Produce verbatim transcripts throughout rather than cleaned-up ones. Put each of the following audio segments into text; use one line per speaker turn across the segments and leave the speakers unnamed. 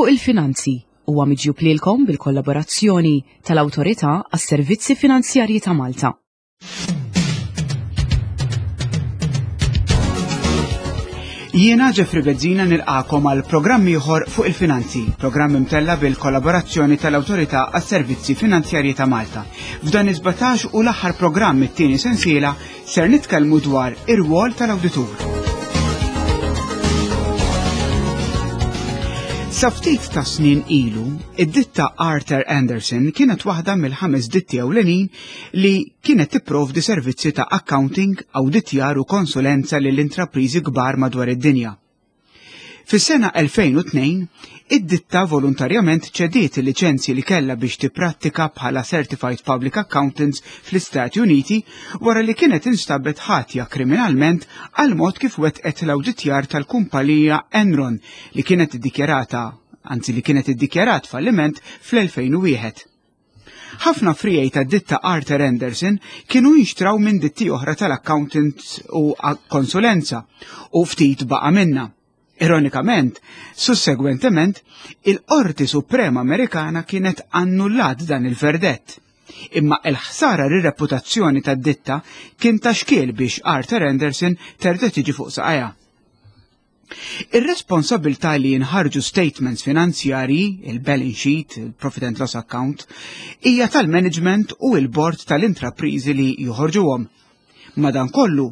Fuq il-Finanzi huwa miġjub lilkom bil-kollaborazzjoni tal-Awtorità għas-Servizzi Finanzjarji ta' Malta.
Jiena Jeffrey Bezzina nilqakom għal programm ieħor fuq il-finanzi, programm imtella bil-kollaborazzjoni tal-Awtorità għas-Servizzi Finanzjarji ta' Malta. F'dan is-sbatax u l-aħħar programm it-tieni sensiela ser nitkellmu dwar ir-rwol tal-awditur. Sa ftit ta' snin ilu, id-ditta Arthur Andersen kienet waħda mill-ħames ditti ewlenin li kienet tipprovdi servizzi ta' accounting, awditjar u konsulenza lil intrapriżi kbar madwar id-dinja. Fis-sena elfejn u tnejn, id-ditta volontarjament ċediet il-liċenzji li kellha biex tipprattika bħala Certified Public Accountants fl-Istati Uniti wara li kienet instabet ħatja kriminalment għal mod kif wettqet l-awditjar tal-kumpanija Enron li kienet iddikjarata, anzi li kienet iddikjarat falliment fl-elfejn u wieħed. Ħafna frijej ta' ditta Arthur Andersen kienu jinxtraw minn ditti oħra tal-accountants u konsulenza u ftit baqa' minna. Ironikament, sussegwentement, il-Qorti Suprema Amerikana kienet annullat dan il-verdett. Imma il-ħsara rir-reputazzjoni tad-ditta kien ta' xkiel biex Arthur Andersen terġa' tiġi fuq saqajha. Ir-responsabilità li jinħarġu statements finanzjarji, il-balance sheet, il-profit and loss account, hija tal-management u il-board tal-intrapriżi li joħorġuhom. Madankollu,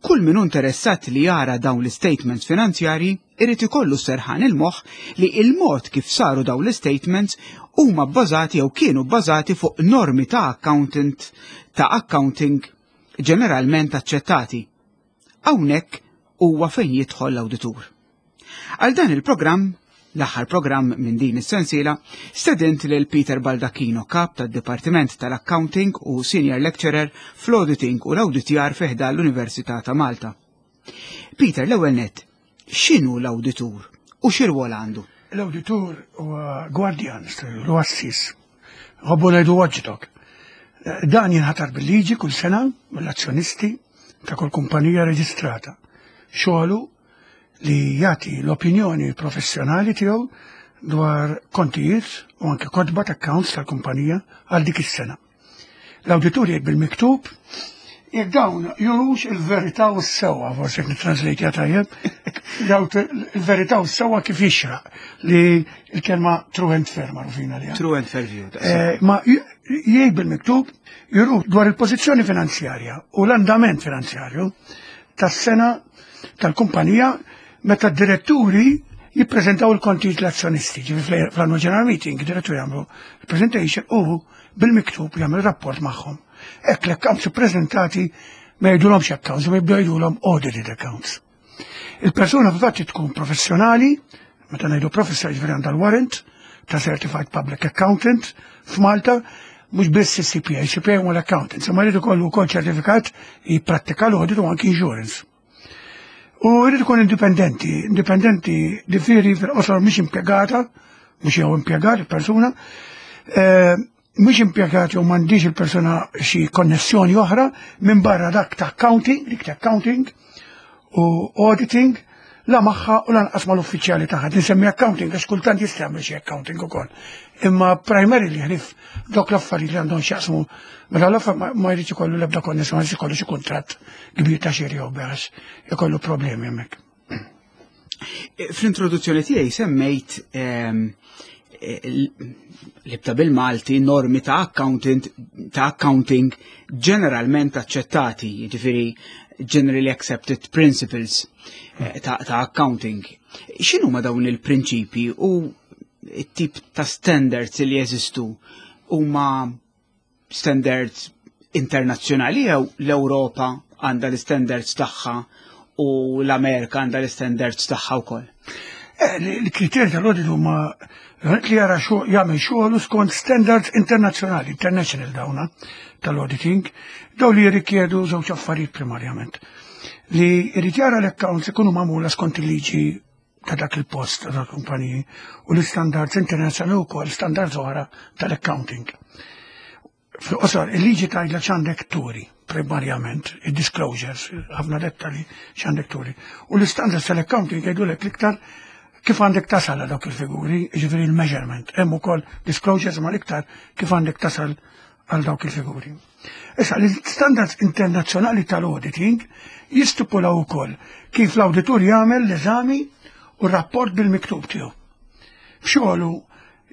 kull min hu interessat li jara dawn l-statements finanzjarji irid ikollu serħan il-moħħ li il-mod kif saru dawn l-statements huma bbażati jew kienu bbażati fuq normi ta' accountant ta' accounting ġeneralment aċċettati. Hawnhekk huwa fejn jidħol l-awditur. Għal dan il-programm, l-aħħar programm minn din is-sensiela, stedint lil Peter Baldacchino, kap tad-Dipartiment tal-Accounting u Senior Lecturer fl-Auditing u l-Awditjar fi ħdan l-Università ta' Malta. Peter, l-ewwel nett, x'inhu l-awditur u x'irwol għandu?
L-awditur huwa gwardjan, huwa assis. Għobbu ngħidu watchdog. Dan jinħatar bil-liġi kull sena mill-azzjonisti ta' kull kumpanija reġistrata. Xogħlu li jagħti l-opinjoni professjonali tiegħu dwar kontijiet u anke kotba ta' accounts tal-kumpanija għal dik is-sena. L-awditur jgħid bil-miktub jekk dawn jurux il-verità u s-sewwa, forsi jekk nitranslate tajjeb, daw il-verità u s-sewwa kif jixraq li l-kelma true and fair magħrufina li.
True and fair view,
Eh, ma jgħid bil-miktub juru dwar il-pożizzjoni finanzjarja u l-andament finanzjarju tas-sena tal-kumpanija meta d-diretturi jippreżentaw il-kontijiet l-azzjonisti, ġifieri fl-annual general meeting, id-diretturi jagħmlu presentation u bil-miktub jagħmlu rapport magħhom. Hekk l-accounts ippreżentati ma jgħidulhomx accounts, ma jibdew jgħidulhom audited accounts. Il-persuna fil-fatt tkun professjonali, meta ngħidu professjonali ġifieri għandha l-warrant ta' Certified Public Accountant f'Malta, mhux biss il-C P A, C P A huma l-accountants, imma jrid ikollu wkoll ċertifikat jipprattika l-audit u anki insurance. U jrid ikun indipendenti, indipendenti ġifieri fil-qosor mhix impjegata, mhux jew impjegat il-persuna, eh, mhux impjegat jew m'għandix il-persuna xi konnessjoni oħra minn barra dak ta' accounting, dik ta' accounting u auditing, la magħha u lanqas mal-uffiċjali tagħha. Tinsemmi accounting għax kultant jista' jagħmel xi accounting ukoll. Imma primarily ħlif dawk l-affarijiet li għandhom x'jaqsmu mela l-affarijiet ma jridx ikollu l-ebda konnessjoni, ma jridx ikollu xi kuntratt kbir ta' xiri jew bejgħ, ikollu problemi hemmhekk.
Fl-introduzzjoni tiegħi semmejt, ehm, l-ibta bil-Malti normi ta' accountant, ta' accounting ġeneralment aċċettati, jiġifieri generally accepted principles, eh, ta', ta' accounting. X'inhu ma dawn il-prinċipji u t-tip ta' standards li jeżistu huma standards internazzjonali jew l-Ewropa għandha l-standards tagħha u l-Amerika għandha l-standards tagħha wkoll?
Eh, l-kriterji tal-audit huma li jara xo-, jagħmel xogħol skont standards internazzjonali, international dawna tal-auditing, daw li jirrikjedu żewġ affarijiet primarjament. Li jrid jara l-accounts ikunu magħmula skont il-liġi ta' dak il-post ta' kumpaniji u l-standards internazzjonali wkoll standards oħra tal-accounting. Fil-qosor, il-liġi tgħidlek x'għandek turi, primarjament, il-disclosures, ħafna dettali x'għandek turi. U l-standards tal-accounting jgħidulek l-iktar Kif għandek tasal għal dawk il-figuri, ġifieri il-measurement, hemm ukoll disclosures, ma l-iktar kif għandek tasal għal dawk il-figuri. Issa, l-standards internazzjonali tal-auditing jistipulaw ukoll kif l-auditur jagħmel l-eżami u r-rapport bil-miktub tiegħu. F'xogħlu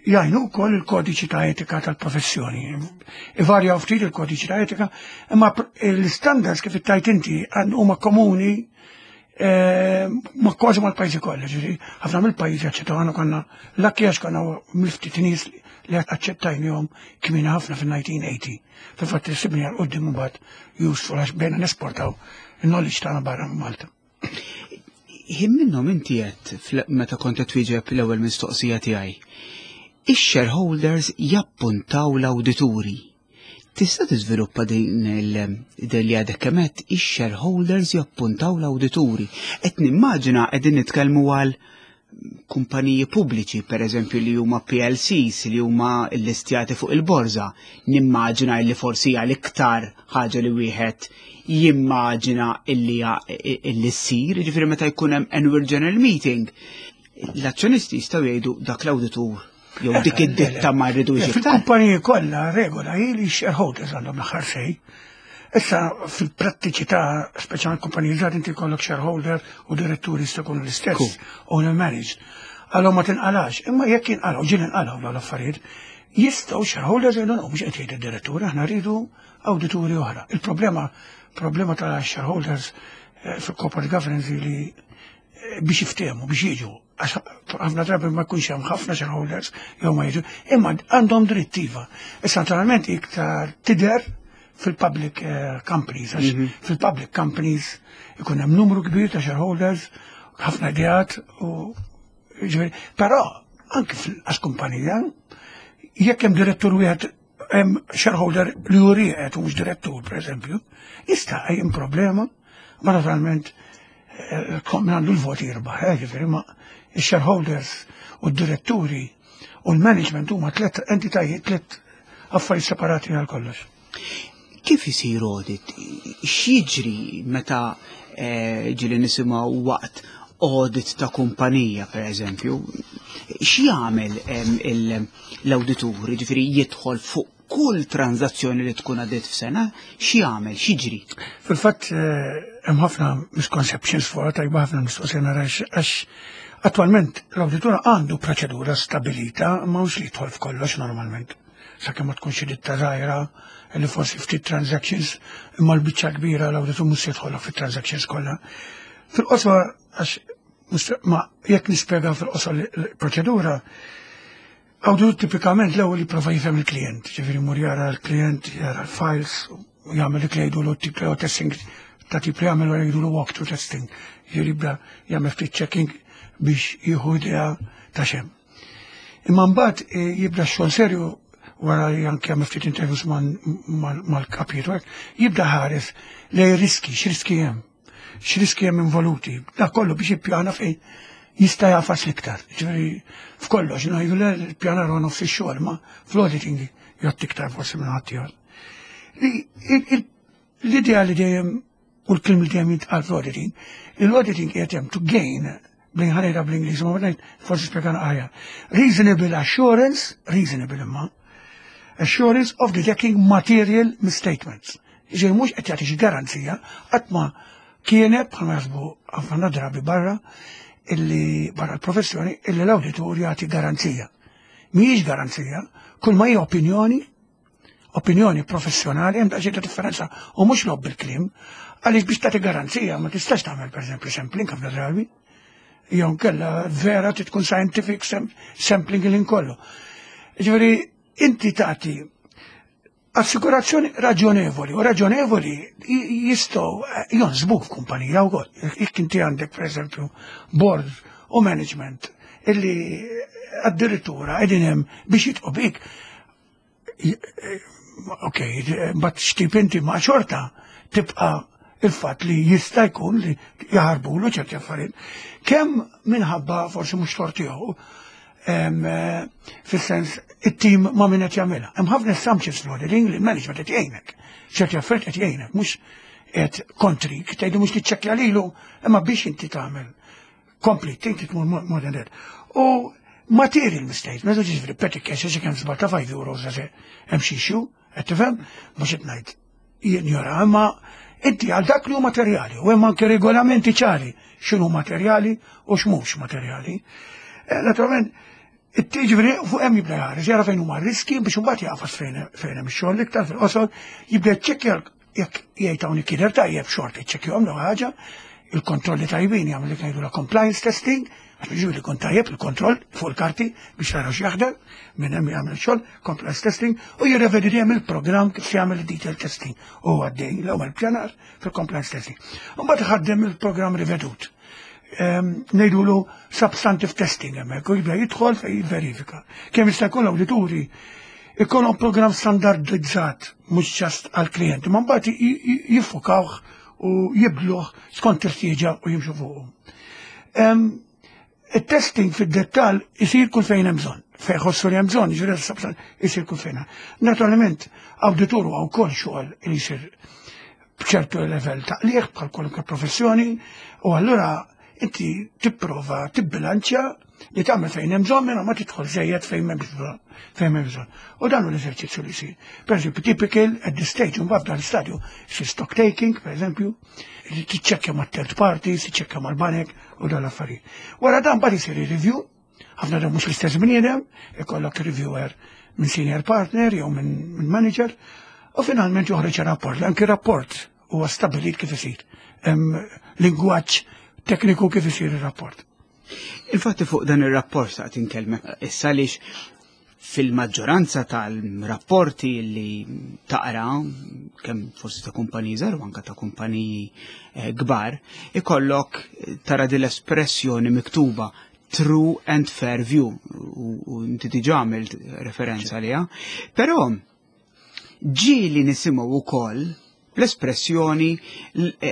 jgħinu wkoll il-kodiċi ta' etika tal-professjoni. Ivarjaw ftit il-kodiċi ta' etika, imma l-standards, kif ittajt inti, huma komuni eh, ma kważi mal-pajjiżi kollha, ġifieri ħafna mill-pajjiżi aċċettaw. Għandna konna lucky għax konna mill-ftit nies li aċċettajnihom kmieni ħafna fil-elf disa' mija u tmenin. Fil-fatt sibni għal quddiem mbagħad useful għax bdejna nesportaw il-knowledge tagħna barra minn Malta.
Ħin minnhom inti qed, meta kont qed twieġeb l-ewwel mistoqsija tiegħi, ix-shareholders jappuntaw l-awdituri. Tista' tiżviluppa din il li għadek kemm għedt, ix-shareholders jappuntaw l-awdituri? Qed nimmaġina qegħdin nitkellmu għal kumpaniji pubbliċi, per eżempju, li huma P L Cs, li huma llistjati fuq il-borża. Nimmaġina li forsi għal iktar ħaġa li wieħed jimmaġina illi illi ssir, ġifieri meta jkun hemm annual general meeting, l-azzjonisti jistgħu jgħidu dak l-awditur jew dik id-ditta ma rridux iktar.
Fil-kumpaniji kollha regola hi li shareholders għandhom l-aħħar say. Issa, fil-prattiċità, speċjalment kumpaniji żgħar, inti jkollok shareholder u diretturi jista' jkunu l-istess, owner managed. Allora ma tinqalax, imma jekk jinqalaw, ġieli nqalaw dawn l-affarijiet, jistgħu shareholders jgħidu, mhux qed jgħid id-direttur, aħna rridu awdituri oħra. Il-problema problema ta' shareholders eh, fil-corporate governance li eh, biex jiftehmu, biex jiġu, għax ħafna drabi ma jkunx hemm ħafna shareholders jew ma jiġu, imma għandhom drittiva. Issa, naturalment iktar tidher fil-public eh, companies, għax mhm. fil-public companies ikun hemm numru kbir ta' shareholders, ħafna ideat u però anke fil-qas kumpanija, jekk hemm direttur wieħed, hemm shareholder li hu rieqed u mhux direttur, pereżempju, jista' hemm problema, ma naturalment eh, min għandu l-voti jirbaħ, eh, ġifieri, ma il-shareholders u d-diretturi u l-management huma tliet entitajiet, tliet affarijiet separati għal kollox.
Kif isir audit? X'jiġri meta eh, ġieli nisimgħu waqt audit ta' kumpanija, per eżempju, x'jagħmel l-awditur? Ġifieri jidħol fuq kull tranzazzjoni li tkun għadiet f'sena, x'jagħmel, x'jiġri?
Fil-fatt eh, hemm ħafna misconceptions fuq, tajba ħafna mistoqsija nara, għax attualment l-awditur għandu proċedura stabilita, ma mhux li jidħol f'kollox normalment. Sakemm ma tkunx ditta żgħira li forsi ftit transactions, imma l-biċċa kbira l-awditur mhux jidħol fit-transactions kollha. Fil-qosor, għax ma jekk nispjega fil-qosor l-proċedura, awditur tipikament l-ewwel jipprova jifhem il-klient, ġifieri mur jara l-klient, jara l-files, u jagħmel dik li jgħidu tip testing, ta' tip li jagħmel jgħidu walk-through testing, ġifieri jibda jagħmel ftit checking biex jieħu idea ta' x'hemm. Imma mbagħad eh, jibda x-xogħol serju wara li anke jagħmel ftit interviews mal-kapijiet, jibda ħares lej riski, x'riski hemm, x'riski hemm involuti, da kollu biex jippjana fejn jista' jagħfas l-iktar. Ġifieri f'kollox, ngħidu l-pjanar huwa nofs ix-xogħol, ma fl-auditing jgħod iktar forsi minn ħadd. L-idea li dejjem u l-kliem li dejjem jintqal fl-auditing, l-auditing qiegħed hemm to gain, bl ħanejda bl-Ingliż, ma bnejt forsi spjegana aħjar. Reasonable assurance, reasonable imma, assurance of detecting material misstatements. Ġej mhux qed jagħti xi garanzija, qatt ma kienet bħalma jaħsbu ħafna drabi barra illi barra l-professjoni illi l-awditur jagħti garanzija. Mhijiex garanzija, kull ma hija opinjoni, opinjoni professjonali, hemm daqsxejn ta' differenza u mhux logħob bil-kliem, għaliex biex tagħti garanzija ma tistax tagħmel, pereżempju, sampling ħafna drabi. Jew kella vera trid tkun scientific sampling li kollu. Ġifieri inti tagħti assikurazzjoni raġonevoli, u raġonevoli jistgħu jonsbuk f'kumpanija wkoll. Jekk inti għandek, pereżempju, board u management illi addirittura qegħdin hemm biex jitqu bik. Ok, but x'tip inti, ma xorta tibqa' il-fatt li jista' jkun li jaħarbulu ċerti affarijiet. Kemm minħabba forsi mhux tort tiegħu, fis-sens it-tim ma' min qed jagħmilha. Hemm ħafna assumptions fl-auditing li l-management qed jgħinek. Ċerti affarijiet qed jgħinek, mhux qed kontrik, tgħidu mhux tiċċekkja lilu, imma biex inti tagħmel Complete, inti tmur more than that. U material misstatement, ġifieri petty cash, xi kemm żball ta' five euros, għax hemm xi issue, qed tifhem, mhux qed ngħid jinjora, imma inti għal dak li hu materjali, u hemm anke regolamenti ċari x'inhu materjali u x'mhux materjali. Eh, naturalment, it-tiġri fuq hemm jibda jħares, jara fejn huma riski biex imbagħad jaqfas fejn fejn hemm ix-xogħol iktar fil-qosor, jibda jċekkja jekk jgħid hawn jidher tajjeb, xorta jċekkjahom l ħaġa, il-kontrolli tajbin jagħmel li ngħidu la compliance testing, għax biex li jkun tajjeb il-kontroll fuq il-karti biex tara x'jaħdem, minn hemm jagħmel xogħol, compliance testing, u jirrevedi dejjem il-programm kif jagħmel detail testing u għaddej l-ewwel pjanar fil-compliance testing. U mbagħad iħaddem il-programm rivedut. Ngħidulu substantive testing hemmhekk u jibda jidħol fejn jivverifika. Kemm jista' jkun l-awdituri ikollhom programm standardizzat mhux just għall-klijenti, ma mbagħad jiffukawh u jibdluh skont il-ħtieġa u jimxu fuqu. Il-testing fid-dettal isir kull fejn hemm bżonn. Fejn ħossu li hemm bżonn, jiġifieri isir kull fejn. Naturalment, awditur huwa wkoll xogħol li jsir b'ċertu level ta' qligħ bħal kwalunkwe professjoni u allura inti tipprova tibbilanċja li tagħmel fejn hemm bżonn minn ma tidħol żejjed fejn hemm bżonn fejn hemm bżonn. U dan hu l-eżerċizzju li jsir. Per eżempju, typical at this stage, mbagħad f'dan l-istadju, jsir stock taking, per eżempju, tiċċekkja ma' third parties, tiċċekkja mal-banek u dan l-affarijiet. Wara dan mbagħad isir review, ħafna dan mhux l-istess bniedem, ikollok reviewer minn senior partner jew minn manager, u finalment joħroġ rapport. Anki rapport huwa stabilit kif isir. Lingwaġġ tekniku kif isir ir-rapport.
Infatti fuq dan ir-rapport sa' tinkellmek issa għaliex fil-maġġoranza tal-rapporti li taqra, kemm forsi ta' kumpaniji żgħar u anke ta' kumpaniji eh, kbar, ikollok tara din l-espressjoni miktuba true and fair view u inti diġà għamilt referenza liha. Però ġieli nisimgħu wkoll l-espressjoni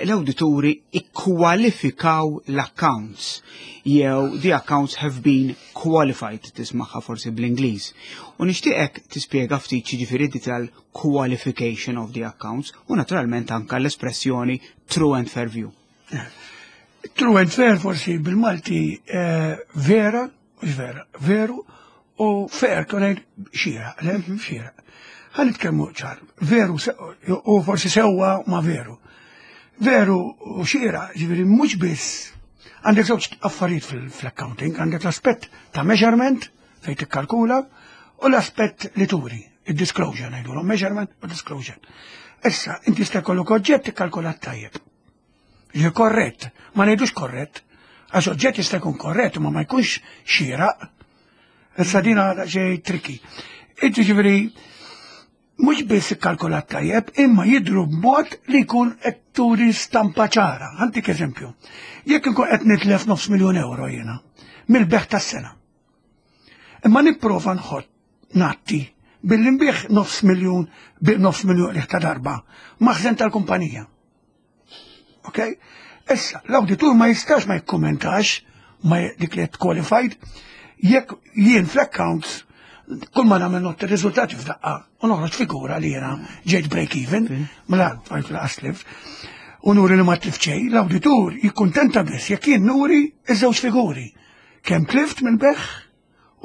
l-awdituri ikkwalifikaw l-accounts jew "the accounts have been qualified", tismagħha forsi bl-Ingliż. U nixtieqek tispjega ftit ġifieri di tal-qualification of the accounts u naturalment anka l-espressjoni true and fair view.
True and fair forsi bil-Malti eh, vera, mhux vera, veru u fair konet xieraq, le? Mhm. Xieraq. Ħa nitkellmu ċar, veru u forsi sewwa ma veru. Veru u xieraq, ġifieri mhux biss għandek żewġ affarijiet fil-accounting, għandek l-aspett ta' measurement fejn tikkalkula u l-aspett li turi, il-disclosure ngħidu, measurement u disclosure. Issa, inti sta jkollok oġġett tikkalkulat tajjeb. Ġi korrett, ma ngħidux korrett, għax oġġett jista' jkun korrett ma ma jkunx xieraq. Issa dina xej tricky. Inti ġifieri mhux biss ikkalkulat tajjeb, imma jidru b'mod li jkun qed turi stampa ċara. Ħa ntik eżempju. Jekk inkun qed nitlef nofs miljon euro jiena mill-bejgħ tas-sena. Imma nipprova nħott natti billi nbigħ nofs miljun bi nofs miljun li ta' darba maħżen tal-kumpanija. Ok? Issa, l-awditur ma jistax ma jikkommentax ma dik li qualified jekk jien fl-accounts kull ma nagħmel not ir-riżultati f'daqqa u noħroġ figura li jiena ġejt break even, mela tfajt laqas tlift, u nuri li ma tlift xejn, l-awditur jikkuntenta biss jekk jien nuri iż-żewġ figuri. Kemm tlift mill-bejgħ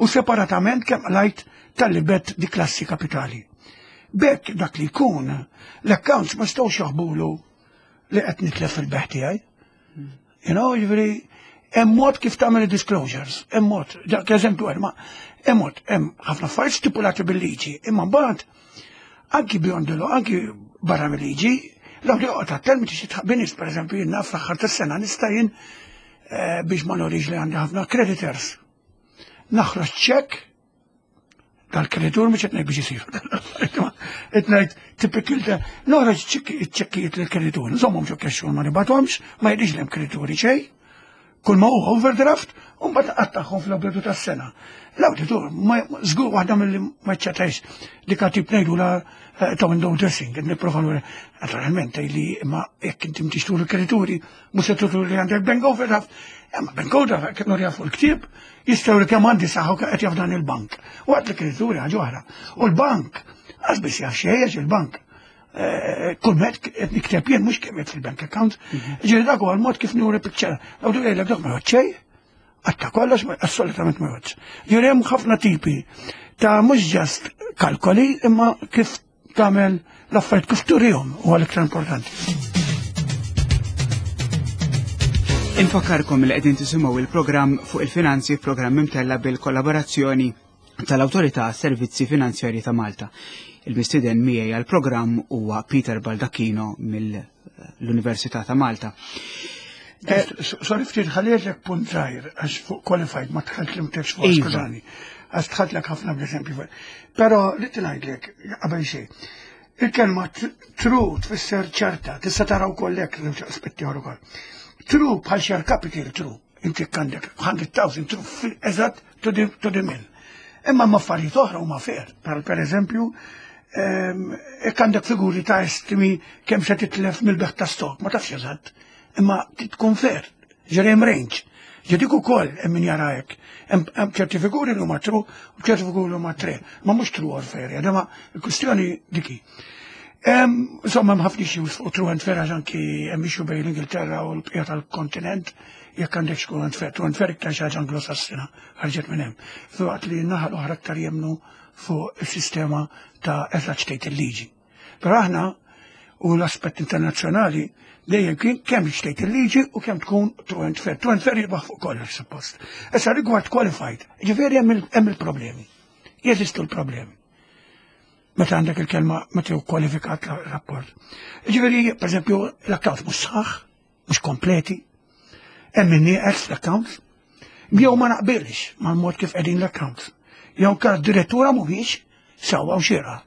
u separatament kemm qlajt talli bigħt di klassi kapitali. B'hekk dak li jkun l-accounts ma stawx jaħbulu li qed nitlef fil-bejgħ tiegħi. You know, ġifieri, hemm mod kif tagħmel disclosures, hemm mod, dak eżempju ma hemm mod, hemm ħafna affarijiet stipulati bil-liġi, imma mbagħad anki beyond the law, anki barra mill-liġi, l-għabdi joqgħod attent meta xi tħabbinis, pereżempju jien naf fl-aħħar tas-sena nista' jien eh, biex ma nurix li għandi ħafna creditors. Naħroġ ċekk tal-kreditur, mhux qed ngħid biex isir. Qed ngħid typical ta' noħroġ ċekkijiet lill-kreditur. Nżommhom ġo cash ma nibgħathomx, ma jidhirx li hemm kredituri xejn. Kull ma huwa overdraft, u mbagħad qattagħhom fl-bidu tas-sena. L-awditur ma żgur waħda mill-li ma ċċettax dik tip ngħidu la eh, ta' window dressing, qed nipprova nuri naturalment li ma jekk inti mtix turi kredituri, mhux se turi li għandek bank overdraft, imma bank overdraft kif nurja fuq il-ktieb, jistgħu li kemm għandi saħħa qed jaf dan il-bank. Waqt li kredituri ħaġa oħra. U l-bank, għax biss jaf xejn il-bank. Eh, kull met qed nikteb jien mhux kemm fil-bank account. Mhm. Ġieli dak huwa l-mod kif nuri picture. L-awditur jgħidlek dak ma xejn. Għatta kollox, assolutament ma jgħoddx. Ġifieri hemm ħafna tipi ta' mhux just kalkoli, imma kif tagħmel l-affarijiet, kif turihom huwa l-iktar importanti.
Infakkarkom li qegħdin tisimgħu il-programm fuq il-finanzi, programm imtella bil-kollaborazzjoni tal-Awtorità Servizzi Finanzjarji ta' Malta. Il-mistieden miegħi għall-programm huwa Peter Baldacchino mill-Università ta' Malta.
Eh, sorry, ftit ħallejtlek punt żgħir għax fuq qualified ma dħalt li mtexx fuq,
Iva.
skużani. Għax dħaltlek ħafna bl-eżempju. Però li ngħidlek qabel xejn. Il-kelma true tfisser ċerta, tista' taraw kollek żewġ aspetti oħra ukoll. True bħal share capital true. Inti għandek mija elf true eżatt to the, to the mill. Imma ma affarijiet oħra huma fair. Per, per eżempju, jekk għandek figuri ta' estimi kemm se titlef mill-bejgħ ta' stock, ma tafx eżatt, imma tkun fair, ġifieri hemm range. Ġedik ukoll hemm min jara hekk. Hemm ċerti figuri li huma true u ċerti figuri li huma tre, ma mhux true or fair, ma l-kwistjoni diki. Insomma, hemm ħafna issues fuq true and fair, għax anki hemm issue bejn l-Ingilterra u l-bqija tal-kontinent jekk għandek true and fair. True and fair iktar xi ħaġa Anglosassina ħarġet minn hemm. Filwaqt li n-naħa l-oħra aktar jemnu fuq il-sistema ta' eżatt x'tgħid il-liġi. Però aħna u l-aspett internazzjonali dejjem kien kemm x'tgħid il-liġi u kemm tkun true and fair. True and fair jirbaħ fuq kollox suppost. Issa rigward qualified, ġifieri hemm il-problemi. Jeżistu l-problemi. Meta għandek il-kelma meta hu kwalifikat rapport. Ġifieri, per eżempju, l-account mhux sħaħ, mhux kompleti, hemm min nieqes l-accounts, jew ma naqbilx mal-mod kif qegħdin l-accounts. Jew kar direttura mhuwiex sewwa u xierqa.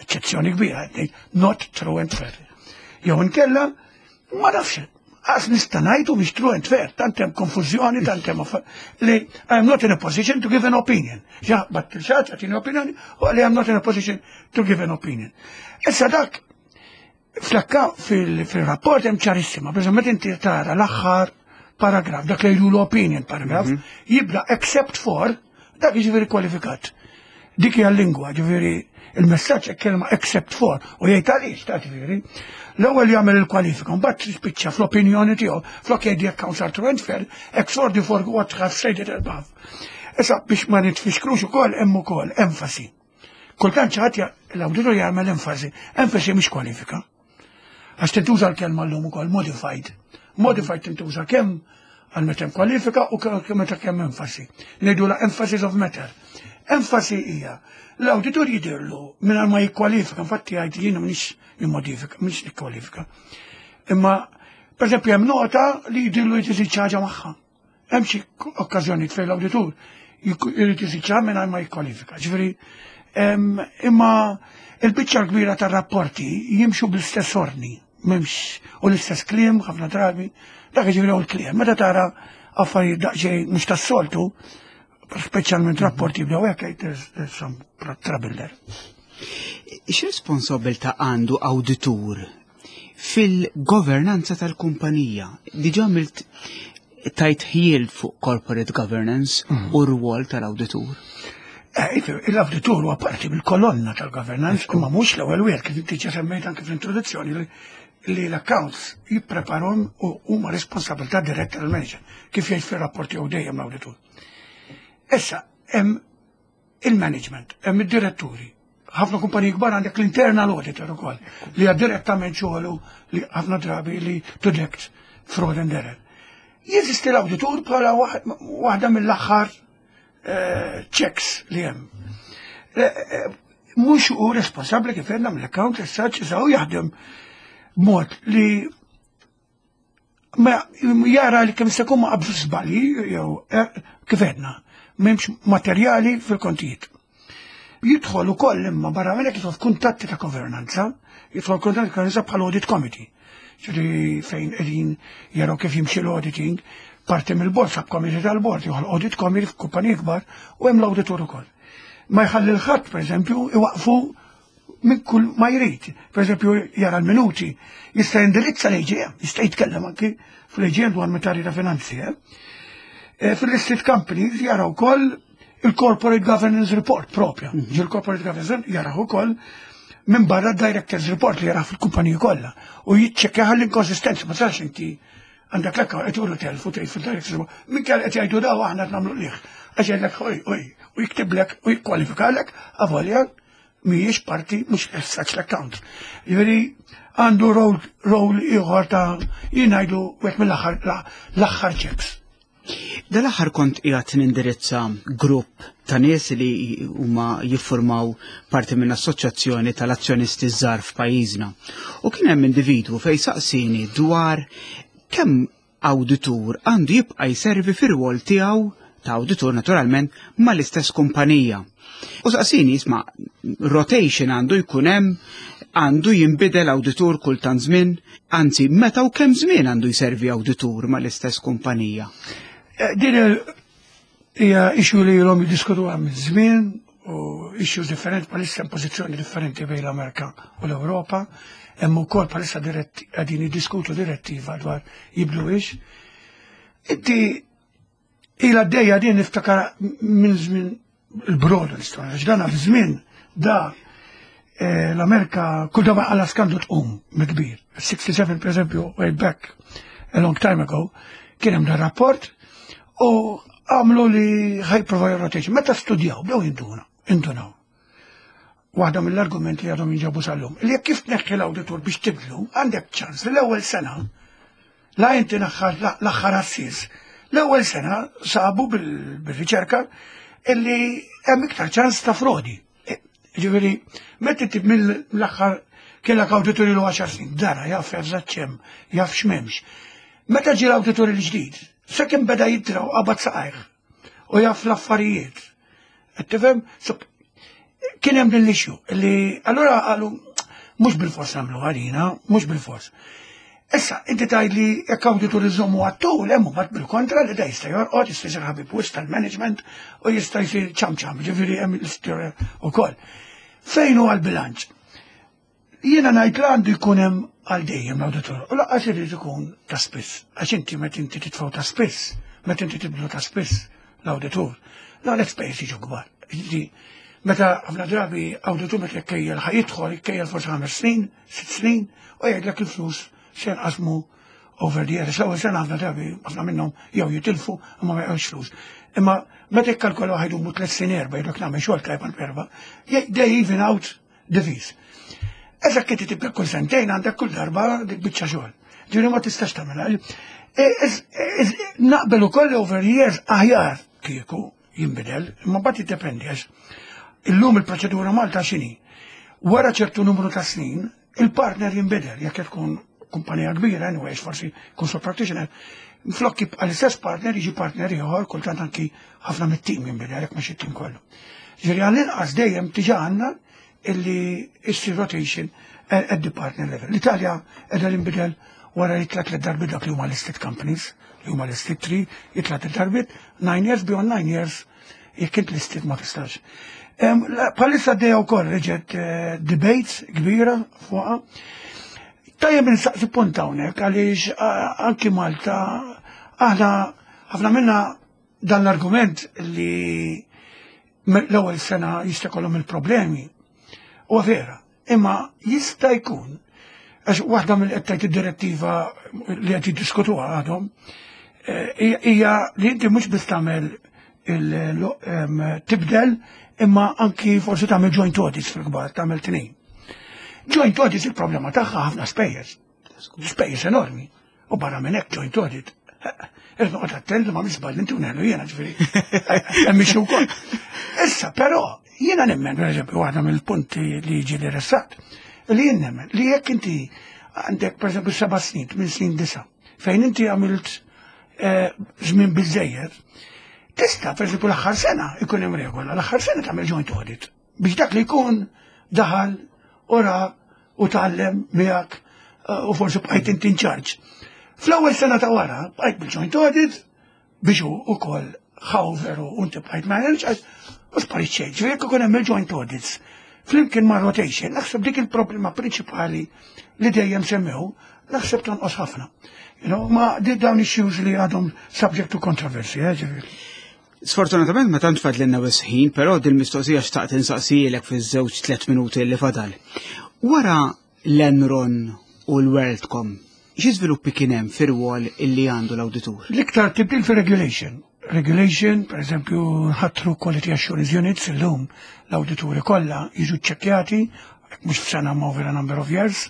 Eċċezzjoni kbira, not true and fair. Jew inkella ma nafx, għax nista' ngħidu biex true and fair, tant hemm konfużjoni, tant hemm li I am not in a position to give an opinion. Ġa, bat il-xatt għatini opinjoni, u li I am not in a position to give an opinion. Issa dak, flakka fil-rapport hemm ċarissima, per meta inti tara l-aħħar paragraf, dak li jgħidu l-opinion paragraf, mhm. jibda "except for", dak jiġifieri kwalifikat. Dik hija l-lingwa, ġifieri il-messaġġ kelma "except for" u jgħid għaliex ta' ġifieri. L-ewwel jagħmel il-kwalifika, mbagħad tispiċċa fl-opinjoni tiegħu, flok jgħid accounts are true and fair, except for what have said it above. Issa biex ma nitfixklux ukoll, hemm ukoll enfasi. Kultant xi ħadd, l-awditur jagħmel enfasi, enfasi mhix kwalifika. Għax tintuża l-kelma llum ukoll "modified". "Modified" tintuża kemm għal meta hemm kwalifika u kemm meta kemm enfasi. Ngħidu la emphasis of matter. Enfasi hija l-awditur jidirlu minn ma jikkwalifika, infatti jgħid jiena m'iniex nimmodifika, m'iniex nikkwalifika. Imma per eżempju hemm nota li jidirlu jrid iżid ħaġa magħha. Hemm xi okkażjonijiet fejn l-awditur jrid iżid ħaġa mingħajr ma jikkwalifika. Ġifieri imma il-biċċa l-kbira tar-rapporti jimxu bl-istess ordni, m'hemmx u l-istess kliem ħafna drabi, dak ġifieri u l-kliem. Meta tara affarijiet daqsxejn mhux tas-soltu, speċjalment rapporti jibdew hekk, there's, there's some trouble there.
X'responsabilità għandu awditur fil-governanza tal-kumpanija? Diġà għamilt tajt ħjiel fuq corporate governance mm. u r-rwol tal-awditur.
Eh, l-awditur huwa parti mill-kolonna tal-governance, imma mhux l-ewwel wieħed, kif inti semmejt anke fl-introduzzjoni li li l-accounts jippreparhom u huma responsabilità diretta tal-manager, kif jgħid fir-rapport jew dejjem l-awditur. Issa, hemm il-management, hemm id-diretturi. Ħafna kumpaniji kbar għandek l-internal auditor ukoll, li għad direttament xogħlu li ħafna drabi li to detect fraud and error. Jeżisti l-awditur bħala waħda mill-aħħar eh, checks li hemm. Eh, eh, mhux hu responsabbli kif għedna mill-account as such, issa hu jaħdem b'mod li ma jara li kemm se jkun ma qabżu żbalji jew kif għedna m'hemmx materjali fil-kontijiet. Jidħol ukoll, imma barra minn hekk jidħol f'kuntatti ta' governanza, jidħol kuntatti ta' governanza bħal audit committee. Ġifieri fejn qegħdin jaraw kif jimxi l-auditing, parti mill-board, subcommittee tal-board, joħol audit committee f'kumpaniji kbar u hemm l-auditur ukoll. Ma jħalli l-ħadd, per eżempju, iwaqfu minn kull ma jrid. Per eżempju, jara l-minuti, jista' jindirizza l-A G M, jista' jitkellem anki fl-A G M dwar materji ta' finanzi. Eh? Eh, fil-listed companies jara wkoll il-Corporate Governance Report propja. Mm -hmm. Il-Corporate Governance jara ukoll minn barra Directors Report li jara fil-kumpaniji kollha u jiċċekkja l-inkonsistenza, ma sarx inti Għandek l-account qed juru telf u tgħid fil-directors minn kell qed jgħidu daw aħna qed nagħmlu liħ. Għax jgħidlek oj, oj, u jiktiblek u jikkwalifikalek avolja mhijiex parti mhux as such l-account. Jiġifieri għandu role role ieħor ta' jien ngħidu wieħed mill-aħħar l-aħħar checks.
Dal-aħħar kont qiegħed nindirizza grupp ta' nies li huma jiffurmaw parti minn assoċjazzjoni tal-azzjonisti żgħar f'pajjiżna. U kien hemm individwu fejn saqsini dwar kemm awditur għandu jibqa' jservi fir-rwol tiegħu ta' awditur naturalment mal-istess kumpanija. U saqsini jisma' rotation għandu jkun hemm, għandu jinbidel awditur kull tant żmien, anzi meta u kemm żmien għandu jservi awditur mal-istess kumpanija.
Eh, Din il- hija issue li ilhom jiddiskutuha minn żmien u issues differenti bħalissa hemm pożizzjoni differenti bejn l-Amerika u l-Ewropa. Hemm ukoll bħalissa diretti qegħdin jiddiskutu direttiva dwar jibdluhiex. Inti ila għaddejja din niftakar minn żmien il-brodu l-istorja, għax dan żmien da eh, l-Amerika kull darba għala skandlu tqum kbir. sitta u sebgħin per eżempju, way back a long time ago, kien hemm dan rapport u għamlu li ħa jipprovaw rotation. Meta studjaw, bdew jinduna, indunaw. Waħda mill-argumenti li għadhom jinġabu sal-lum. Li jekk kif tneħħi l-awditur biex tibdlu, għandek ċans li l-ewwel sena, la inti naħħar l-aħħar assis, l-ewwel sena sabu bil- bil-riċerka illi hemm iktar ċans ta' frodi. E, Ġifieri, meta inti mill-aħħar kellek awditur ilu għaxar snin, dara jaf eżatt x'hemm, jaf x'm'hemmx. Meta ġie l-awditur il-ġdid, sakemm beda jidra u qabad saqajh u jaf l-affarijiet. Qed tifhem? So, kien hemm din l-issue li allura qalu mhux bil-fors nagħmlu għalina, mhux bil-fors. Issa, inti tgħid li jekk awditur iżommu għat-tul, hemm mbagħad bil-kontra li da jista' jorqod, jista' jsir ħabib wisq tal-management u jista' jsir ċam ċam, ġifieri hemm l-istorja wkoll. Fejn huwa l-bilanċ? Jiena ngħid li għandu jkun hemm għal dejjem l-awditur. U lanqas irid ikun ta' spiss. Għax inti meta inti titfgħu ta' spiss, meta inti tibdlu ta' spiss l-awditur, la l-ispejjeż jiġu kbar. Ġifieri, meta ħafna drabi awditur meta jkejjel ħa jidħol, jkejjel forsi ħames snin, sitt snin, u jgħidlek il-flus se jinqasmu over the years. L-ewwel sena ħafna drabi ħafna minnhom jew jitilfu imma ma jgħux flus. Imma meta jikkalkolaw ħa jdumu tliet snin erba' jgħidlek nagħmel xogħol tajb għal erba', they even out the fees. Eżatt inti tibda kull sentejn għandek kull darba dik biċċa xogħol. Ġifieri ma tistax tagħmilha. E, ez- ez- Naqbel ukoll over years aħjar kieku jinbidel, imma mbagħad jiddependi għax illum il-proċedura Malta x'inhi. Wara ċertu numru ta' snin, il-partner jinbidel, jekk tkun kumpanija kbira, anyways, forsi kun sole practitioner, flok jibqa' l-istess partner jiġi partner ieħor, kultant anki ħafna mit-tim jinbidel, jekk mhux it-tim kollu. Ġifieri għall-inqas dejjem diġà għandna illi issir rotation at the partner level. L-Italja qiegħda tinbidel wara jitla' tliet darbiet dak li huma listed companies, li huma listed three, jitla' tliet darbiet, nine years, beyond nine years, jekk int listed ma tistax. Em, la- Bħalissa għaddejja wkoll reġgħet eh, debates kbira fuqha. Tajjeb nsaqsi punt hawnhekk għaliex eh, anki Malta aħna ħafna minna dan l-argument li l-ewwel sena jista' jkollhom il-problemi. Huwa vera, imma jista' jkun għax waħda mill qed tgħid id-direttiva li qed jiddiskutuha għadhom eh, hija li inti mhux biss tagħmel il- em, tibdel imma anki forsi tagħmel joint audits fil-kbar, tagħmel tnejn. Joint audits il-problema tagħha ħafna spejjeż. Spejjeż enormi. U barra minn hekk joint audit. Irrid noqgħod attent li ma żball inti u neħlu jiena ġifieri. Hemm issue wkoll. Issa, però, jiena nemmen, per eżempju, waħda mill-punti li jiġi li ressaqt, li jien nemmen li jekk inti għandek per eżempju seba' snin, tmien snin disa, fejn inti għamilt eh, żmien biżejjed, tista' per eżempju l-aħħar sena ikun hemm regola, l-aħħar sena tagħmel joint audit biex dak li jkun daħal ora u tgħallem miegħek eh, u forsi bqajt inti in charge. Fl-ewwel sena ta' wara bqajt bil-joint audit biex hu ukoll ħa over u inti bqajt manage għax u sparit xejn. Ġifieri jekk ikun hemm il-joint audits flimkien ma' rotation, naħseb dik il-problema prinċipali li dejjem semmew, naħseb tonqos ħafna. You know, ma di dawn issues li għadhom subject to controversy, eh, ġifieri.
Sfortunatament ma tant fadlilna ħin, però din mistoqsija xtaqt insaqsilek fiż-żewġ tliet minuti li fadal. Wara l-Enron u l-WorldCom, Xi żviluppi kien hemm fir-rwol illi għandu l-awditur?
L-iktar tibdil fir-regulation. Regulation, per eżempju, ħatru Quality Assurance Units, illum l-awdituri kollha jiġu ċċekkjati, mhux f'sena ma over a number of years.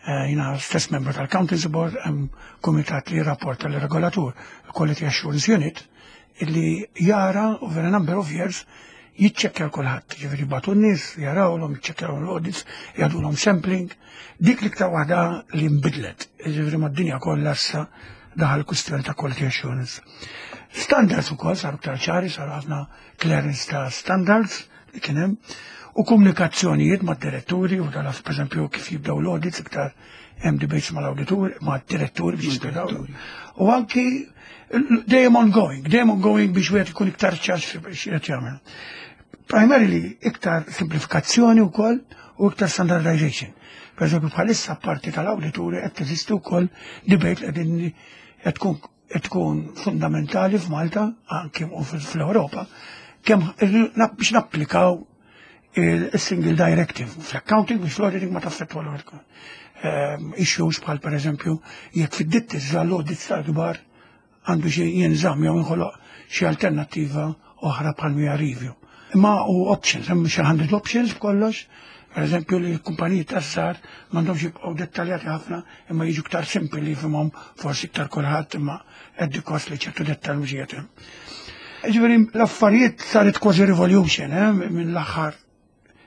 Eh, jiena stess membru tal-Accountants Board, hemm kumitat li jirrapporta l-regolatur, Quality Assurance Unit, illi jara over a number of years jiċċekkja kulħadd, ġifieri bagħtu n-nies, jarawlhom, jiċċekkjaw l-audits, jagħtulhom sampling. Dik l-iktar waħda li nbidlet, ġifieri mad-dinja kollha issa daħal kwistjoni ta' quality assurance. Standards ukoll saru iktar ċari, saru ħafna clearance ta' standards li kien hemm, u komunikazzjonijiet mad-diretturi u tal per eżempju kif jibdew l-audits iktar hemm debates mal-awditur, mad-diretturi biex jispjegaw. U anki dejjem ongoing, dejjem ongoing biex wieħed ikun iktar ċar x'qed jagħmel. Primarily iktar simplifikazzjoni wkoll u iktar standardization. Per eżempju bħalissa parti tal-awdituri qed teżisti wkoll debate li qegħdin qed tkun qed tkun fundamentali f'Malta anke u fl-Ewropa kemm biex napplikaw il-single directive fl-accounting biex l-auditing ma taffettwa l issues bħal per eżempju jekk fid-ditti l-audits tal-kbar għandu xi jinżamm jew inħoloq xi alternattiva oħra bħal mija review. Imma u options, hemm xi hundred options b'kollox, per eżempju li l-kumpaniji tas-sar m'għandhomx jibqgħu dettaljati ħafna imma jiġu iktar simpli li jifhimhom forsi iktar kulħadd imma qed kost li ċertu dettal mhux qiegħed hemm. Ġifieri l-affarijiet saret kważi revolution eh, minn l-aħħar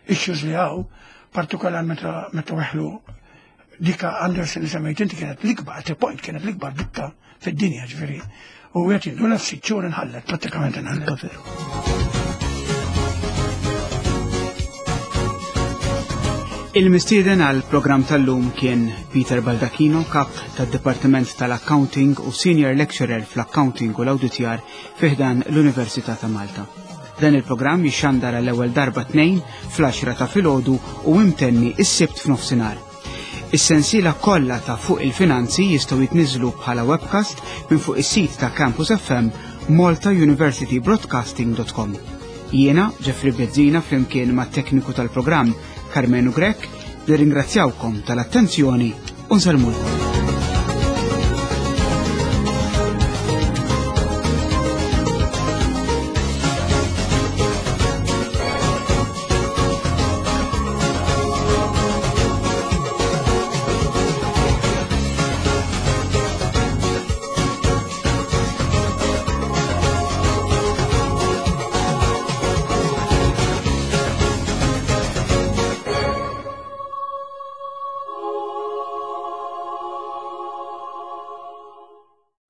issues li hawn, partikolarment meta meta weħlu dika Andersen li semmejt inti kienet l-ikbar, at a point kienet l-ikbar ditta fid-dinja ġifieri. U qed jinduna f'sitt xhur inħallet, prattikament inħallet.
Veru. Il-mistieden għal programm tal-lum kien Peter Baldacchino, kap tad-Dipartiment tal-Accounting u Senior Lecturer fl-Accounting u l-Awditjar fi ħdan l-Università ta' Malta. Dan il-programm jixxandar għall-ewwel darba tnejn fl-għaxra ta' filgħodu u imtenni is-Sibt f'nofsinhar. Is-sensiela kollha ta' Fuq il-Finanzi jistgħu jitniżlu bħala webcast minn fuq is-sit ta' Campus F M malta university broadcasting dot com. Jiena, Jeffrey Bezzina, flimkien mat-tekniku tal-programm Carmenu Grech, nirringrazzjawkom tal-attenzjoni u nsellmulkom.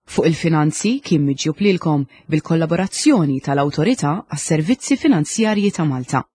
Fuq il-Finanzi kien miġjub lilkom bil-kollaborazzjoni tal-Awtorità għas-Servizzi Finanzjarji ta' Malta.